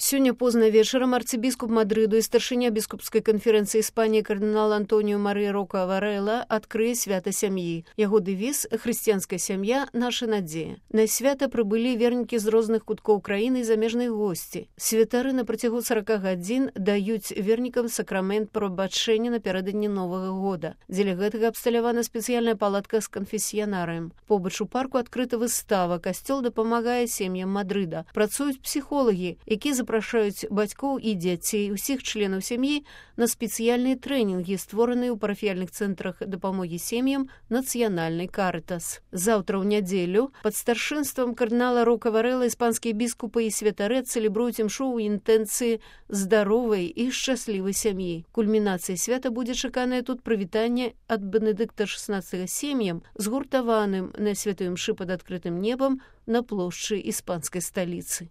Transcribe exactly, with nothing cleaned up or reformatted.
Сёння позна вечарам арцыбіскуп Мадрыду і старшыня біскупскай канферэнцыі Іспаніі кардынал Антоніо Марыя Рока Варэла адкрые свята сям'і. Яго дэвіз «Хрысціянская сям'я – наша надзея». На свята прыбылі вернікі з розных куткоў краіны і замежныя госці. Святары на працягу сорока гадзін даюць вернікам сакрамент прабачэння напярэдадні Новага года. Дзеля гэтага абсталявана спецыяльная палатка з канфесіянарыем. Побач у парку адкрыта выстава. Касцёл дапамагае сем'ям Мадрыда. Працуюць псіхолагі, якія запрашаюць бацькоў і дзяцей, усіх членаў сям'і на спецыяльныя трэнінгі, створаныя ў парафіяльных цэнтрах дапамогі сем'ям нацыянальнай Карытас. Заўтра ў нядзелю пад старшынствам кардынала Рока Варэла іспанскія біскупы і святары цэлебруюць імшу ў інтэнцыі здаровай і шчаслівай сям'і. Кульмінацыяй свята будзе чаканае тут прывітанне ад Бенедыкта шаснаццатага сем'ям, згуртаваным на святой імшы пад адкрытым небам на плошчы іспанскай сталіцы.